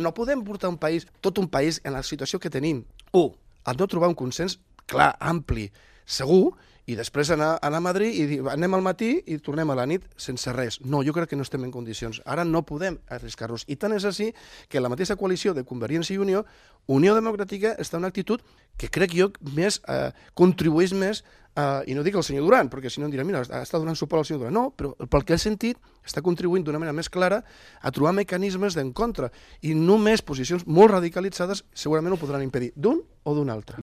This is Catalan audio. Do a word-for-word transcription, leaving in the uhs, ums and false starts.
no podem portar un país, tot un país, en la situació que tenim. Un, el no trobar un consens clar, ampli, segur, i després anar, anar a Madrid i dir anem al matí i tornem a la nit sense res. No, jo crec que no estem en condicions. Ara no podem arriscar-nos. I tant és així que la mateixa coalició de Convergència i Unió, Unió Democràtica, està en una actitud que crec jo més eh, contribueix més, eh, i no dic el senyor Duran, perquè si no em dirà, mira, està donant suport al senyor Duran. No, però pel que he sentit està contribuint d'una manera més clara a trobar mecanismes d'encontre. I només posicions molt radicalitzades segurament ho podran impedir d'un o d'un altre.